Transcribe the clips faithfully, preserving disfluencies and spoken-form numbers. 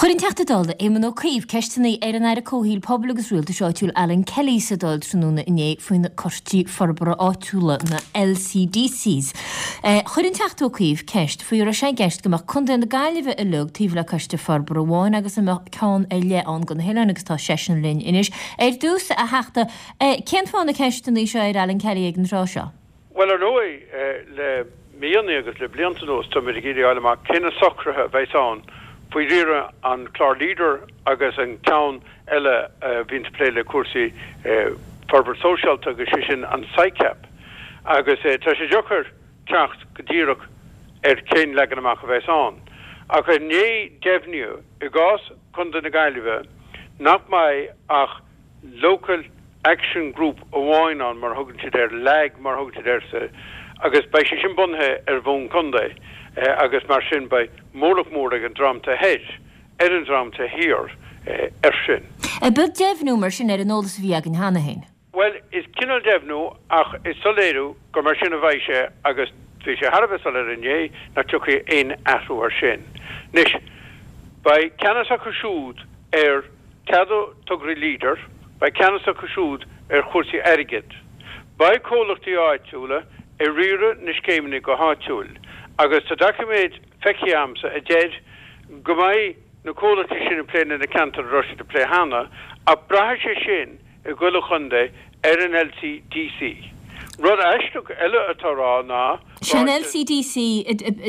Chuir an Teachta Dála Éamon Ó Cuív ceisteanna ar an Aire Comhshaoil, Pobail agus Rialtais Áitiúil Alan Kelly sa Dáil tráthnóna inné faoi na Coistí Forbartha Áitiúla, na LCDCs. Chuir an Teachta Ó Cuív ceist faoi an raibh sé i gceist go mbeadh Contae na Gaillimhe uilig taobh le coiste forbartha amháin agus an mbeadh ceann ar leith ann do na hoileáin agus tá seisean linn anois. Ar dtús, a Theachta, cén fáth na ceisteanna seo ar Alan Kelly ag an tráth seo? Bhuel, ar ndóigh, le míonna agus le blianta anuas táimid ag iarraidh a fháil amach cé na socruithe a bheas ann faoi riaradh an clár Leader agus an ceann eile a bhíonn ag plé le cúrsaí forbairt sóisialta agus sé sin an SICAP. Agus tá sé deacair teacht go díreach ar cén leagan amach a bheas ann. Ach inné deimhníodh i gcás Chontae na Gaillimhe nach mbeidh ach Local Action Group amháin ann, mar a thugann siad air, LAG mar a thugann siad air sa, agus beidh sé sin bunaithe ar bhonn contae agus mar sin beidh mórlach mór ag an dream taobh thoir ar an dream taobh thiar air sin. Ab beag deimhniú mar sin ar an eolas a bhí againn cheana féin? Bhuel, is cineál deimhniú ach is soiléiriú gur mar sin a bheidh sé agus bhí sé thar a bheith soiléir inné nach dtiocfaidh aon athrú air sin. Anois, beidh ceannas acu siúd ar ceadú tograí Leader, beidh ceannas acu siúd ar chúrsaí airgid. Beidh comhlachtaí áitiúla ag riaradh na scéimeanna go háitiúil agus tá doiciméad feicthe agamsa a deir go mbeidh na comhlachtaí sin ag plé le na ceantair a raibh siad ag plé cheana ach braithfidh sé sin i gchuile chontae ar an LCDC. Rud aisteach eile atá á rá ná Sé an LCDC,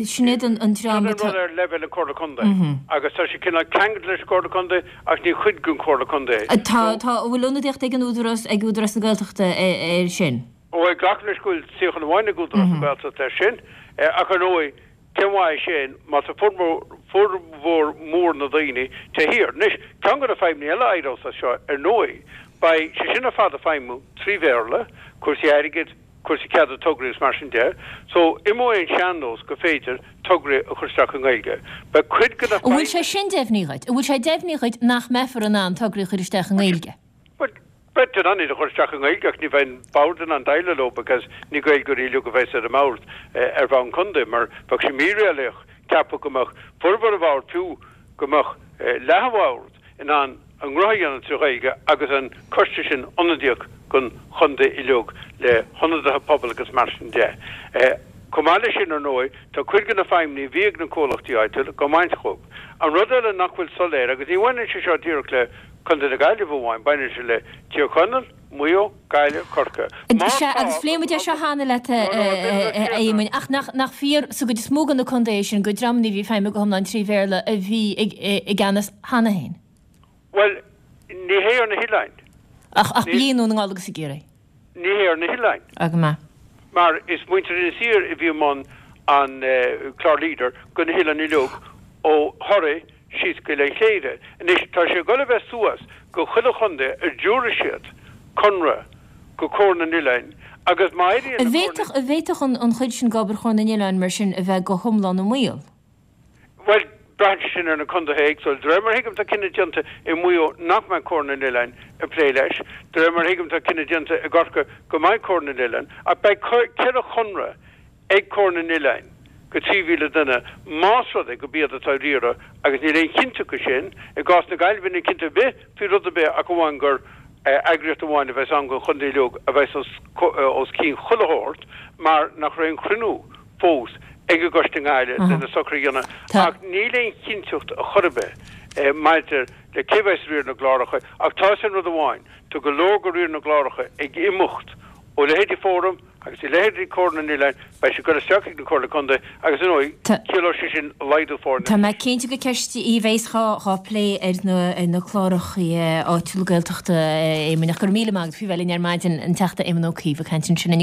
sin iad an dream atá. Sin an rud ar leibhéal na Comhairle Contae agus tá sé cineál ceangailte leis an gComhairle Contae ach ní chuid den Chomhairle Contae é. Tá, tá, an bhfuil ionadaíocht ag an Údarás, ag Údarás na Gaeltachta air sin? Ó, glacaim leis go bhfuil suíochán amháin ag Údarás na Gaeltachta air sin ach ar ndóigh cén mhaith é sin má tá formhór mór na daoine taobh thiar. Anois, ceann de na fadhbanna eile a éireos as seo ar ndóigh, beidh sé sin ar fad ag feidhmiú trí Bhéarla, cúrsaí airgid, cúrsaí ceadú tograí agus mar sin de. So, imeoidh an sean-nós gur féidir tograí a chur isteach i nGaeilge. Beidh cuid de na An bhfuil sé sin deimhnithe dhuit? An bhfuil sé deimhnithe dhuit nach mbeifear in ann tograí a chur isteach i nGaeilge? Bhuel, beidh in ann iad a chur isteach i nGaeilge ach ní bheidh an bord in ann déileáil leo because ní Gaeilgeoirí uilig a bheas ar an mbord ar bhonn contae mar bheadh sé míréalaíoch ceapadh go mbeadh formhór an bhoird, fiú go mbeadh leath an bhoird in ann a ngnó a dhéanamh trí Ghaeilge agus an coiste sin ionadaíoch don chontae uilig le hionadaithe pobail agus mar sin de. Chomh maith leis sin, ar ndóigh, tá cuid de na feidhmeanna a bhí ag na comhlachtaí áitiúla á mbaint dhóibh. An rud eile nach bhfuil soiléir, agus ní bhaineann sé seo díreach le Contae na Gaillimhe amháin, baineann sé le Tír Chonaill, Maigh Eo, Gaillimh, Corcaigh. Má Sea, tá agus phléigh muid é seo cheana leat, a Éamoinn, ach nach fíor sa gcuid is mó de na contaetha sin gur dreamanna a bhí ag feidhmiú go hiomlán trí Bhéarla a bhí i gceannas cheana féin? Bhuel, ní hé ar na hoileáin. Ach, ach i nDún na nGall agus i gCiarraí. Ní hé ar na hoileáin. Á, go maith. Mar is muintir Inis Oírr a bhí i mbun an clár Leader do na hoileáin uilig ó Thoraigh síos go Oileán Chléire. Anois tá sé ag dul a bheith suas go chuile chontae a dtabharfaidh siad conradh go Comhar na nOileáin agus má éiríonn le Comhar na. An bhféadfadh an chuid sin d'obair Chomhar na nOileán mar sin a bheith go hiomlán i mbaol? Bhuel, braitheann sé sin ar na contaetha éagsúla. De réir mar a thuigim tá cinneadh déanta i Maigh Eo nach mbeidh Comhar na nOileán ag plé leis. De réir mar a thuigim tá cinneadh déanta i gCorcaigh go mbeidh Comhar na nOileán. Ach beidh ceithre chonradh ag Comhar na nOileán go trí mhíle duine más rud é gurb iad atá á riaradh agus níl aon chinnteacht de sin. I gcás na Gaillimhe níl cinnteacht ar bith faoi rud ar bith ach amháin gur eagraíocht amháin a bheas ann don chontae uilig a bheas os cionn chuile shórt mar nach raibh aon chruinniú fós ag an gcoiste i nGaillimh lena socruithe a dhéanamh ach níl aon chinnteacht ar chor ar bith maidir le cé bheas ag riar na gcláracha ach tá 'fhios a'inn rud amháin, tá go leor de riar na gcláracha ag imeacht ó leithéidí Fóram agus ó leithéidí Comhar na nOileán, beidh sé ag dul isteach ag na Comhairle Contae agus ar ndóigh ciallóidh sé sin laghdú foirne. Tá mé cinnte gur ceist í a bheas dhá plé ar na cláracha áitiúla Gaeltachta, a Éamoinn, ach go raibh míle maith agat faoi bheith linn ar maidin, an Teachta Éamon Ó Cuív ag caint ansin.